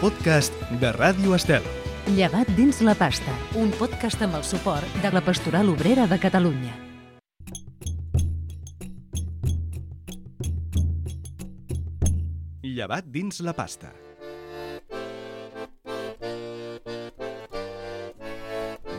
podcast de Ràdio Estel. Llevat dins la pasta, un podcast amb el suport de la Pastoral Obrera de Catalunya. Llevat dins la pasta.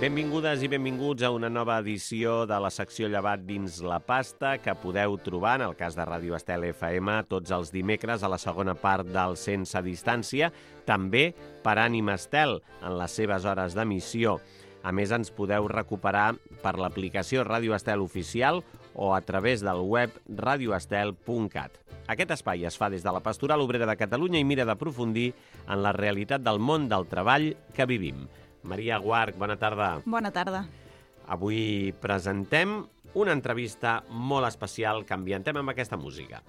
Benvingudes i benvinguts a una nova edició de la secció Llevat dins la pasta que podeu trobar, en el cas de Ràdio Estel FM, tots els dimecres a la segona part del Sense Distància, també per Ànima Estel, en les seves hores d'emissió. A més, ens podeu recuperar per l'aplicació Ràdio Estel Oficial o a través del web radioestel.cat. Aquest espai es fa des de la Pastoral Obrera de Catalunya i mira d'aprofundir en la realitat del món del treball que vivim. Maria Guarch, bona tarda. Bona tarda. Avui presentem una entrevista molt especial que ambientem amb aquesta música.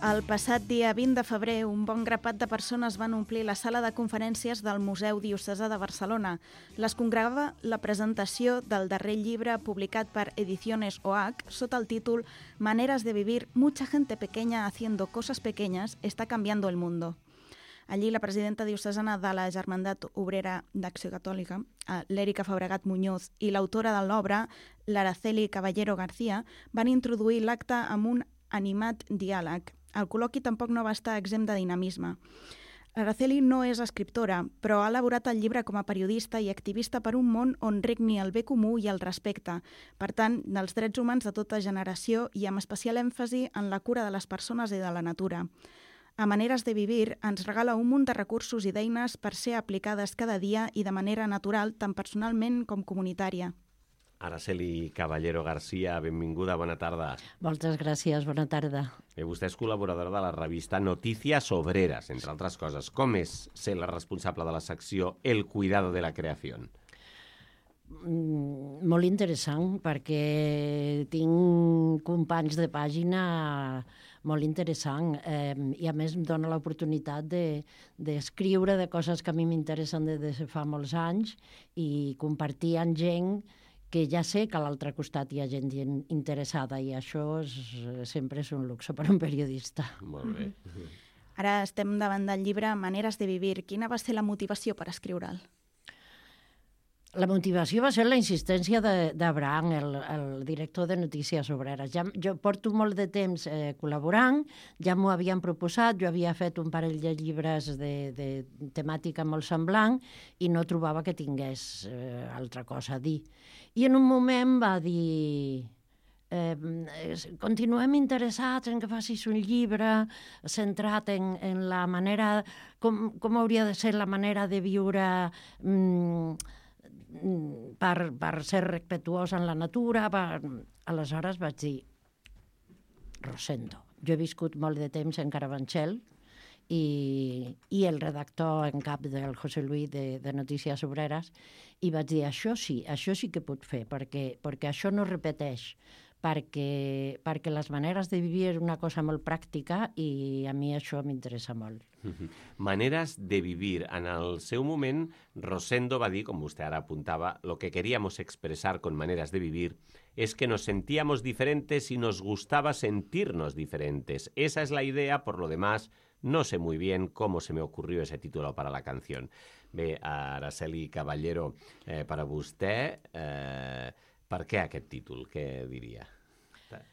El passat dia 20 de febrer, un bon grapat de persones van omplir la sala de conferències del Museu Diocesà de Barcelona. Les congregava la presentació del darrer llibre publicat per Ediciones OH sota el títol Maneras de vivir, mucha gente pequeña haciendo cosas pequeñas está cambiando el mundo. Allí la presidenta diocesana de la Germandat Obrera d'Acció Catòlica, l'Èrica Fabregat Muñoz, i l'autora de l'obra, l'Araceli Caballero García, van introduir l'acte amb un animat diàleg. El col·loqui tampoc no va estar exempt de dinamisme. Araceli no és escriptora, però ha elaborat el llibre com a periodista i activista per un món on regni el bé comú i el respecte. Per tant, dels drets humans de tota generació i amb especial èmfasi en la cura de les persones i de la natura. A Maneres de vivir ens regala un munt de recursos i d'eines per ser aplicades cada dia i de manera natural, tant personalment com comunitària. Araceli Caballero García, benvinguda, bona tarda. Moltes gràcies, bona tarda. Vostè és col·laboradora de la revista Noticias Obreras, entre altres coses. Com és ser la responsable de la secció El cuidado de la creación? Molt interessant, perquè tinc companys de pàgina molt interessant i a més em dona l'oportunitat d'escriure de coses que a mi m'interessen des de fa molts anys i compartir amb gent que ja sé que a l'altre costat hi ha gent interessada i això sempre és un luxe per a un periodista. Molt bé. Ara estem davant del llibre Maneres de vivir. Quina va ser la motivació per escriure'l? La motivació va ser la insistència d'Abraham, el director de Notícies Obreres. Jo porto molt de temps col·laborant, ja m'ho havien proposat, jo havia fet un parell de llibres de temàtica molt semblant i no trobava que tingués altra cosa a dir. I en un moment va dir continuem interessats en que facis un llibre centrat en la manera, com hauria de ser la manera de viure per ser respectuós en la natura. Aleshores vaig dir, Rosendo. Jo he viscut molt de temps en Carabanchel i el redactor en cap del José Luis de Notícies Obreres i vaig dir, això sí que puc fer, perquè això no repeteix, perquè les maneres de vivir és una cosa molt pràctica i a mi això m'interessa molt. Maneres de vivir. En el seu moment, Rosendo va dir, com vostè ara apuntaba, lo que queríamos expresar con Maneras de vivir es que nos sentíamos diferentes y nos gustaba sentirnos diferentes. Esa es la idea, por lo demás, no sé muy bien cómo se me ocurrió ese título para la canción. Bé, Araceli Caballero, per a vostè, per què aquest títol? Què diria?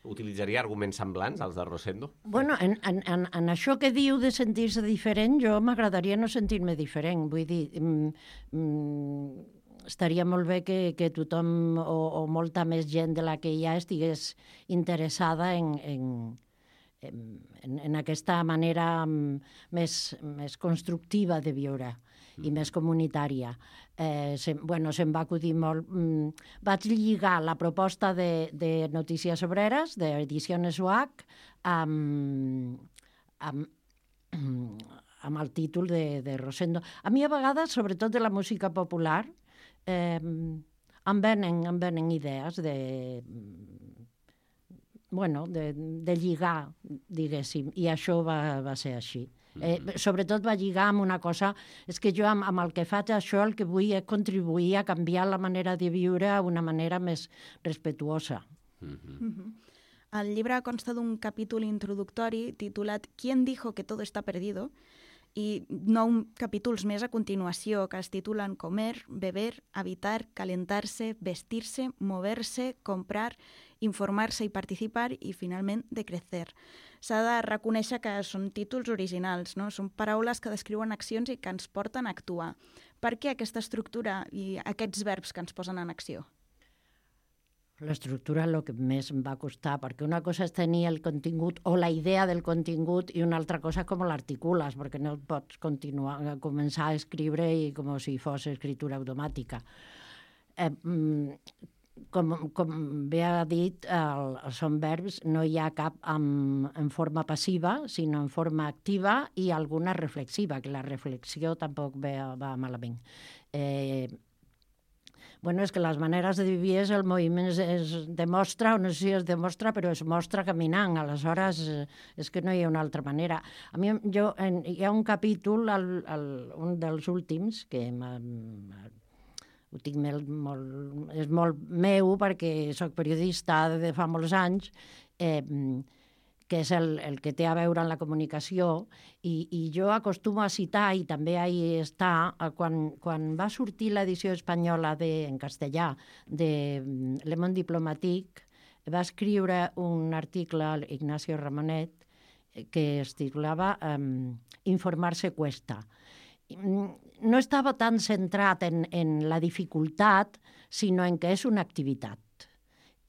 Utilitzaria arguments semblants als de Rosendo? Bueno, en això que diu de sentir-se diferent, jo m'agradaria no sentir-me diferent. Vull dir, estaria molt bé que tothom o molta més gent de la que hi ha estigués interessada en aquesta manera més constructiva de viure. i més comunitària. Se'm va acudir molt... Vaig lligar la proposta de Notícies Obreres, d'Edicions UH, amb el títol de Rosendo. A mi, a vegades, sobretot de la música popular, em venen idees de lligar, diguéssim, i això va ser així. Sobretot va lligar amb una cosa, és que jo amb el que faig això el que vull és contribuir a canviar la manera de viure a una manera més respetuosa. El llibre consta d'un capítol introductori titulat ¿Quién dijo que todo está perdido? I 9 capítols més a continuació que es titulen Comer, beber, habitar, calentarse, vestirse, moverse, comprar, informarse i participar i, finalment, de crecer. S'ha de reconèixer que són títols originals, no? Són paraules que descriuen accions i que ens porten a actuar. Per què aquesta estructura i aquests verbs que ens posen en acció? L'estructura és el que més em va costar, perquè una cosa és tenir el contingut o la idea del contingut i una altra cosa és com l'articules, perquè no pots començar a escriure i com si fos escritura automàtica. Com bé ha dit, són verbs, no hi ha cap en forma passiva, sinó en forma activa i alguna reflexiva, que la reflexió tampoc va malament. És que les maneres de vivir el moviment es demostra, o no sé si es demostra, però es mostra caminant. Aleshores, és que no hi ha una altra manera. A mi, hi ha un capítol, un dels últims, que ho tinc és molt meu, perquè soc periodista de fa molts anys, que és el que té a veure amb la comunicació, i jo acostumo a citar, i també ahí està, quan va sortir l'edició espanyola en castellà de Le Monde Diplomatique, va escriure un article a Ignacio Ramonet que es titulava Informarse cuesta. No estava tan centrat en la dificultat, sinó en que és una activitat.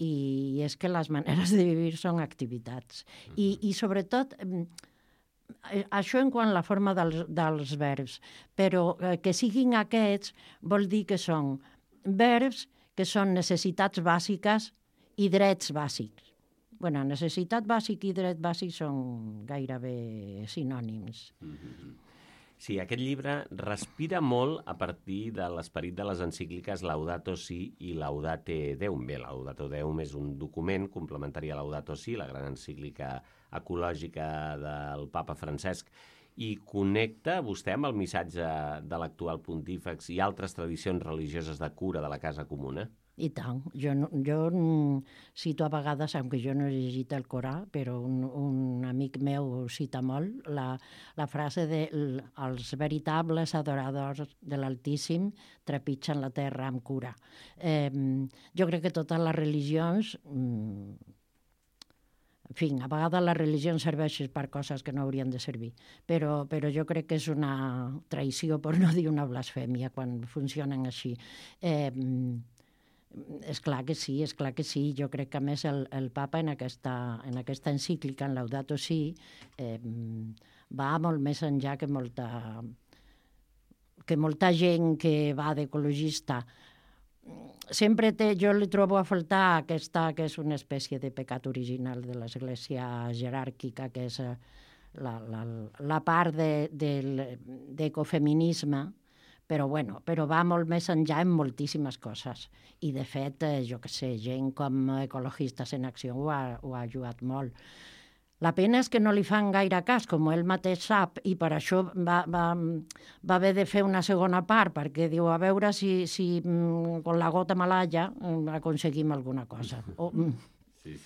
I és que les maneres de vivir són activitats. I sobretot, això en quant a la forma dels verbs, però que siguin aquests vol dir que són verbs que són necessitats bàsiques i drets bàsics. Necessitat bàsica i dret bàsic són gairebé sinònims. Sí, aquest llibre respira molt a partir de l'esperit de les encícliques Laudato Si i Laudate Deum. Bé, Laudato Deum és un document complementari a Laudato Si, la gran encíclica ecològica del papa Francesc, i connecta vostè amb el missatge de l'actual pontífex i altres tradicions religioses de cura de la casa comuna? I tant. Jo cito a vegades, aunque jo no he llegit el Corà, però un amic meu cita molt la frase de els veritables adoradors de l'Altíssim trepitgen la terra amb cura. Jo crec que totes les religions... En fi, a vegades les religions serveixen per coses que no haurien de servir, però jo crec que és una traïció, per no dir una blasfèmia, quan funcionen així. És clar que sí. Jo crec que, a més, el papa en aquesta encíclica, en Laudato Si, va molt més enllà que molta gent que va d'ecologista. Sempre jo li trobo a faltar aquesta, que és una espècie de pecat original de l'Església jeràrquica, que és la part d'ecofeminisme, però va molt més enllà en moltíssimes coses. I, de fet, jo què sé, gent com Ecologistes en Acció ho ha ajudat molt. La pena és que no li fan gaire cas, com ell mateix sap, i per això va haver de fer una segona part, perquè diu, a veure si con la gota malalla aconseguim alguna cosa. Sí.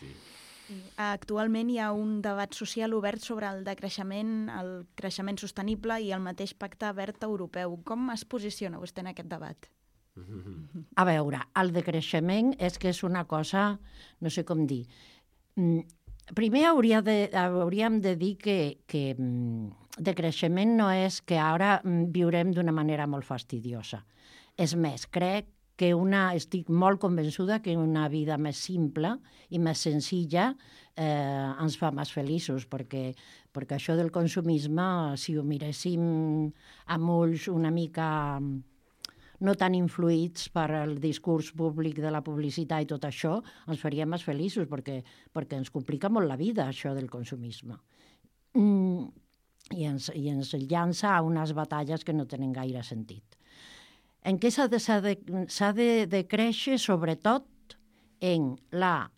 Actualment hi ha un debat social obert sobre el decreixement, el creixement sostenible i el mateix pacte verd europeu. Com es posiciona vostè en aquest debat? A veure, el decreixement és que és una cosa, no sé com dir. Primer hauríem de dir que decreixement no és que ara viurem d'una manera molt fastidiosa. És més, crec que estic molt convençuda que una vida més simple i més senzilla ens fa més feliços, perquè això del consumisme, si ho miréssim amb ulls una mica no tan influïts per el discurs públic de la publicitat i tot això, ens faria més feliços, perquè ens complica molt la vida, això del consumisme. I ens llança a unes batalles que no tenen gaire sentit. En què s'ha de créixer, sobretot, en la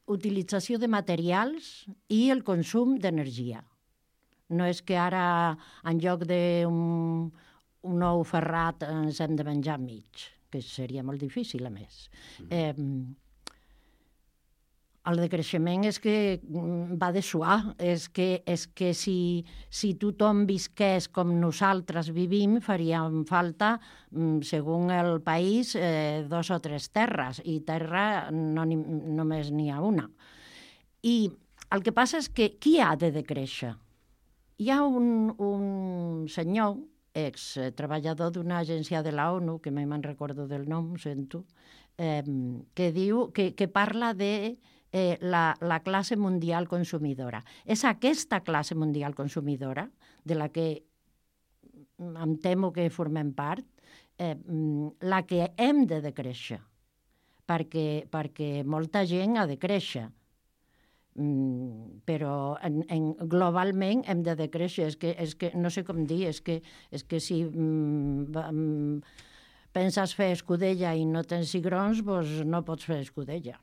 utilització de materials i el consum d'energia. No és que ara, en lloc d'un ou ferrat, ens hem de menjar mig, que seria molt difícil, a més. El decreixement és que va de suar, és que si tothom visqués com nosaltres vivim, faríem falta, segons el país, 2 o 3 terres, i terra només n'hi ha una. I el que passa és que qui ha de decréixer? Hi ha un senyor, ex-treballador d'una agència de la ONU, que mai me'n recordo del nom, sento, que diu que parla de la classe mundial consumidora. És aquesta classe mundial consumidora, de la que em temo que formem part, la que hem de decréixer, perquè molta gent ha de créixer. Però globalment hem de decréixer. És que no sé com dir, és que si penses fer escudella i no tens cigrons, doncs no pots fer escudella.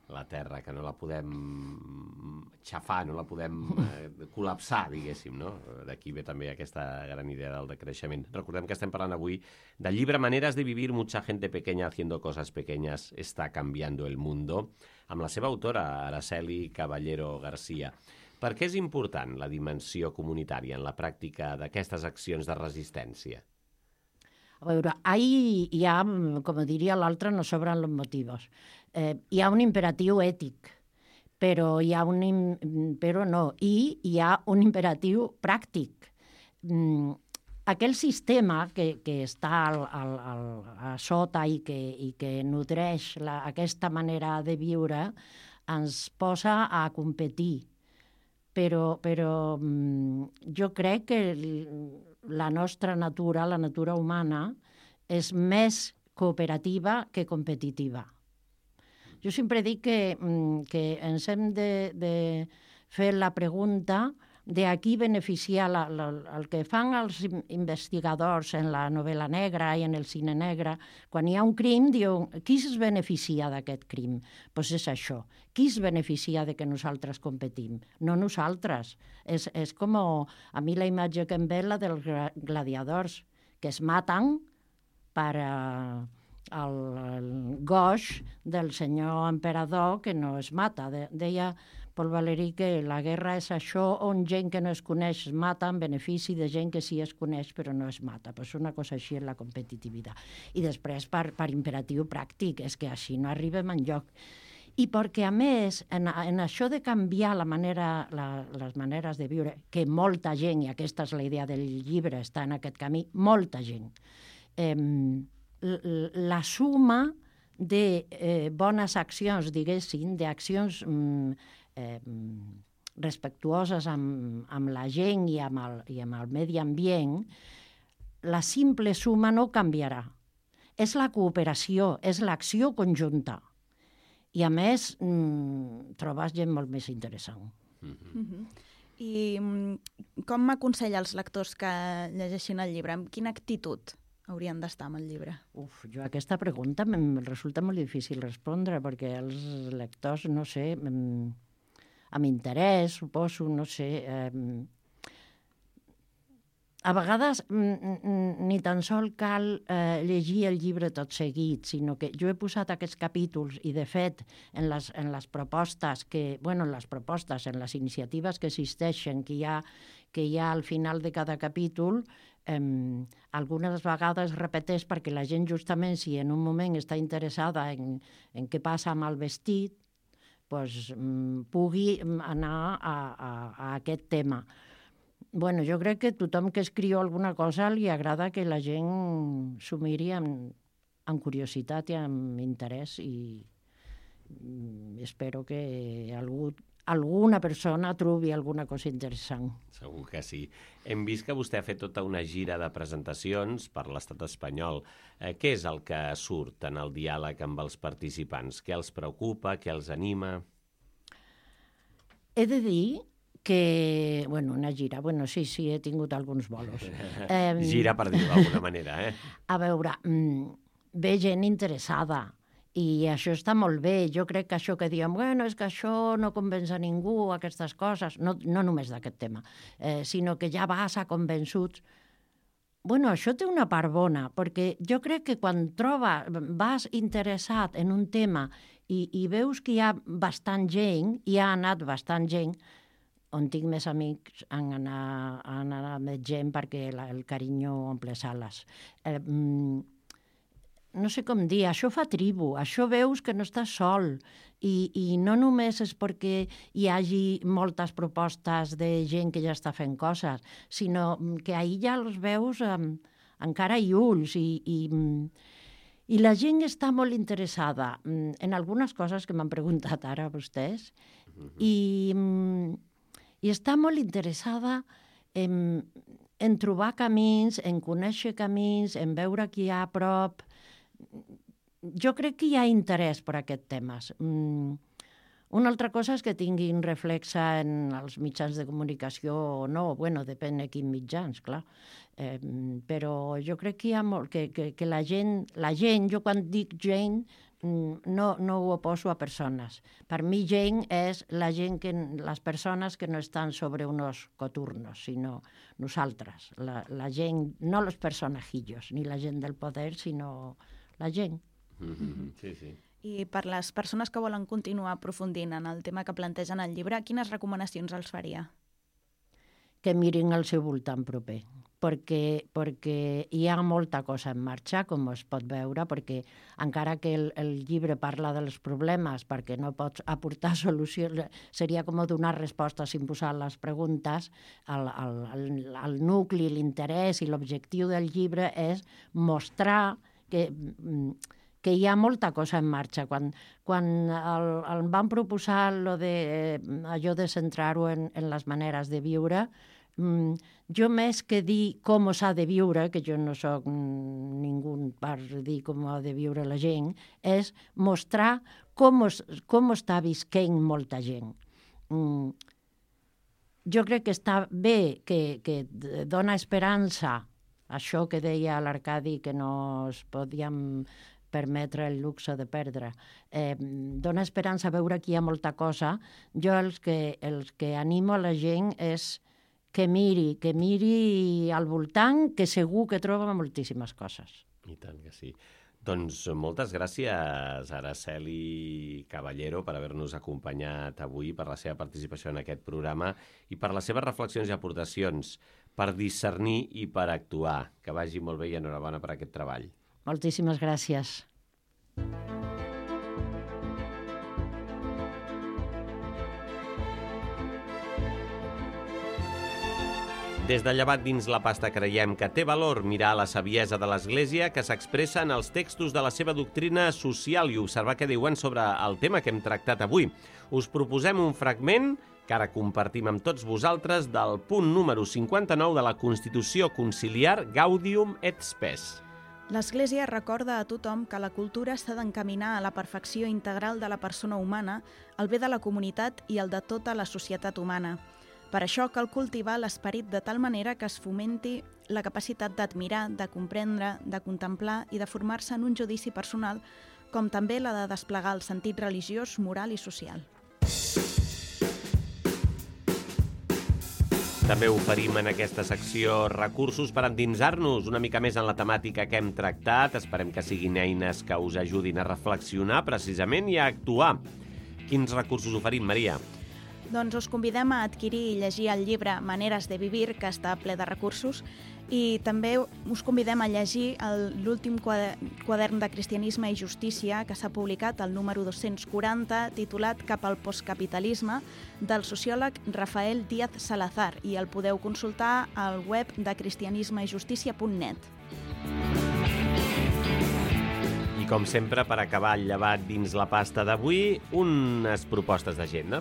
La terra, que no la podem xafar, no la podem col·lapsar, diguéssim, no? D'aquí ve també aquesta gran idea del decreixement. Recordem que estem parlant avui del llibre Maneras de vivir, mucha gente pequeña haciendo cosas pequeñas está cambiando el mundo, amb la seva autora, Araceli Caballero García. Per què és important la dimensió comunitària en la pràctica d'aquestes accions de resistència? A veure, hi ha, com diria l'altre, no sobren els motius. Hi ha un imperatiu ètic, però hi ha un imperatiu pràctic. Aquell sistema que està a sota i que nodreix aquesta manera de viure ens posa a competir. Però jo crec que la nostra natura, la natura humana, és més cooperativa que competitiva. Jo sempre dic que ens hem de fer la pregunta de a qui beneficia el que fan els investigadors en la novel·la negra i en el cine negre. Quan hi ha un crim, diuen, qui es beneficia d'aquest crim? Doncs és això. Qui es beneficia de que nosaltres competim? No nosaltres. És com a mi la imatge que em ve la dels gladiadors, que es maten per el goig del senyor emperador que no es mata. Deia Paul Valéry que la guerra és això on gent que no es coneix es mata en benefici de gent que sí es coneix però no es mata. Pues una cosa així és la competitivitat. I després per imperatiu pràctic, és que així no arribem enlloc. I perquè, a més, en això de canviar les maneres de viure, que molta gent, i aquesta és la idea del llibre, està en aquest camí, molta gent, la suma de bones accions, diguéssim, d'accions respectuoses amb la gent i amb el medi ambient, la simple suma no canviarà. És la cooperació, és l'acció conjunta. I, a més, trobes gent molt més interessant. I com m'aconsella als lectors que llegeixin el llibre? Amb quina actitud haurien d'estar amb el llibre? Jo aquesta pregunta em resulta molt difícil respondre, perquè els lectors, no sé, amb interès, suposo, no sé... A vegades ni tan sol cal llegir el llibre tot seguit, sinó que jo he posat aquests capítols i, de fet, en les propostes, en les iniciatives que existeixen, que hi ha al final de cada capítol, algunes vegades repeteix perquè la gent, justament, si en un moment està interessada en què passa amb el vestit, pugui anar a aquest tema. Jo crec que tothom que escriu alguna cosa li agrada que la gent s'ho miri amb amb curiositat i amb interès, i espero que alguna persona trobi alguna cosa interessant. Segur que sí. Hem vist que vostè ha fet tota una gira de presentacions per l'estat espanyol. Què és el que surt en el diàleg amb els participants? Què els preocupa? Què els anima? He de dir que, una gira, sí, he tingut alguns bolos. Gira, per dir-ho d'alguna manera, A veure, ve gent interessada, i això està molt bé. Jo crec que això que diem, és que això no convenç a ningú, aquestes coses, no només d'aquest tema, sinó que ja vas a convençuts. Això té una part bona, perquè jo crec que quan vas interessat en un tema i veus que hi ha bastant gent, hi ha anat bastant gent, on tinc més amics han anat més gent perquè el carinyo omple sales. No sé com dir, això fa tribu, això veus que no estàs sol, i no només és perquè hi hagi moltes propostes de gent que ja està fent coses, sinó que ahir ja els veus amb cara i ulls, i la gent està molt interessada en algunes coses que m'han preguntat ara vostès, i està molt interessada en trobar camins, en conèixer camins, en veure qui hi ha a prop. Jo crec que hi ha interès per aquests temes. Una altra cosa és que tinguin reflexa en els mitjans de comunicació o no, depèn de quins mitjans, clar. Però jo crec que hi ha molt, que la gent, jo quan dic gent, no ho oposo a persones. Per mi gent és les persones que no estan sobre unos coturnos, sinó nosaltres. La gent, no los personajillos, ni la gent del poder, sinó la gent. Sí, sí. I per les persones que volen continuar aprofundint en el tema que plantegen al llibre, quines recomanacions els faria? Que mirin al seu voltant proper, perquè hi ha molta cosa en marxa, com es pot veure, perquè encara que el llibre parla dels problemes, perquè no pots aportar solucions, seria com donar respostes sin posar les preguntes, el nucli, l'interès i l'objectiu del llibre és mostrar que hi ha molta cosa en marxa. Quan el van proposar allò de centrar-ho en les maneres de viure, jo més que dir com s'ha de viure, que jo no soc ningú per dir com ha de viure la gent, és mostrar com està visquent molta gent. Jo crec que està bé, que dona esperança, això que deia l'Arcadi, que no es podíem permetre el luxe de perdre. Dona esperança veure que hi ha molta cosa. Jo els que animo a la gent és que miri al voltant, que segur que troba moltíssimes coses. I tant que sí. Doncs moltes gràcies, Araceli Caballero, per haver-nos acompanyat avui, per la seva participació en aquest programa i per les seves reflexions i aportacions, per discernir i per actuar. Que vagi molt bé i enhorabona per aquest treball. Moltíssimes gràcies. Des de Llevat dins la pasta creiem que té valor mirar la saviesa de l'Església que s'expressa en els textos de la seva doctrina social i observar què diuen sobre el tema que hem tractat avui. Us proposem un fragment que ara compartim amb tots vosaltres del punt número 59 de la Constitució Conciliar Gaudium et Spes. L'Església recorda a tothom que la cultura s'ha d'encaminar a la perfecció integral de la persona humana, el bé de la comunitat i el de tota la societat humana. Per això cal cultivar l'esperit de tal manera que es fomenti la capacitat d'admirar, de comprendre, de contemplar i de formar-se en un judici personal, com també la de desplegar el sentit religiós, moral i social. També oferim en aquesta secció recursos per endinsar-nos una mica més en la temàtica que hem tractat. Esperem que siguin eines que us ajudin a reflexionar precisament i a actuar. Quins recursos oferim, Maria? Doncs us convidem a adquirir i llegir el llibre Maneres de Vivir, que està ple de recursos, i també us convidem a llegir l'últim quadern de Cristianisme i Justícia, que s'ha publicat, el número 240, titulat Cap al postcapitalisme, del sociòleg Rafael Díaz Salazar, i el podeu consultar al web de cristianismejustícia.net. com sempre, per acabar el llevat dins la pasta d'avui, unes propostes d'agenda.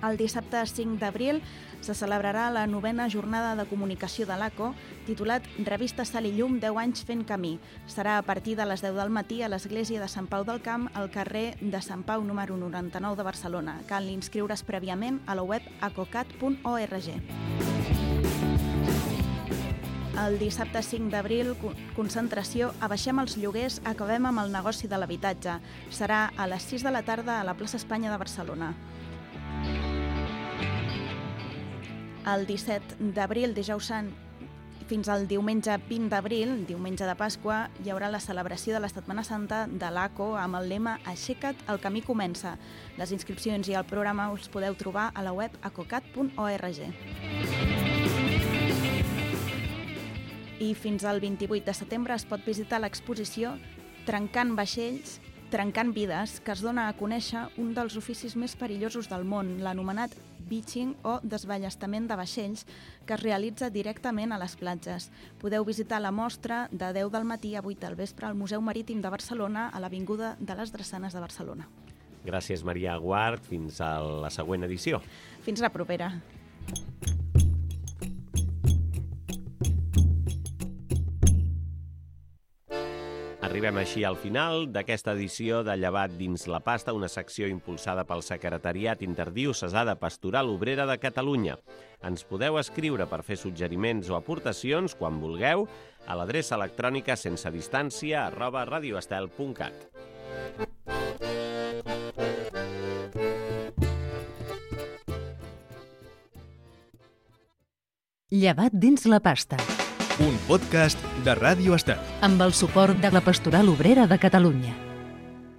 El dissabte 5 d'abril se celebrarà la 9a jornada de comunicació de l'ACO, titulat Revista Sal i Llum, 10 anys fent camí. Serà a partir de les 10 del matí a l'església de Sant Pau del Camp, al carrer de Sant Pau número 99 de Barcelona. Cal inscriure's prèviament a la web acocat.org. El dissabte 5 d'abril, concentració Abaixem els lloguers, acabem amb el negoci de l'habitatge. Serà a les 6 de la tarda a la plaça Espanya de Barcelona. El 17 d'abril, dijous sant, fins al diumenge 20 d'abril, diumenge de Pasqua, hi haurà la celebració de la Setmana Santa de l'ACO amb el lema Aixeca't, el camí comença. Les inscripcions i el programa us podeu trobar a la web acocat.org. I fins al 28 de setembre es pot visitar l'exposició Trencant vaixells, trencant vides, que es dona a conèixer un dels oficis més perillosos del món, l'anomenat beaching o desballestament de vaixells, que es realitza directament a les platges. Podeu visitar la mostra de 10 del matí a 8 del vespre al Museu Marítim de Barcelona, a l'Avinguda de les Drassanes de Barcelona. Gràcies, Maria Guart. Fins a la següent edició. Fins la propera. Arribem així al final d'aquesta edició de Llevat dins la pasta, una secció impulsada pel Secretariat Interdiocesà de Pastoral Obrera de Catalunya. Ens podeu escriure per fer suggeriments o aportacions, quan vulgueu, a l'adreça electrònica sensedistància@radioestel.cat. Llevat dins la pasta. Un podcast de Ràdio Estel. Amb el suport de la Pastoral Obrera de Catalunya.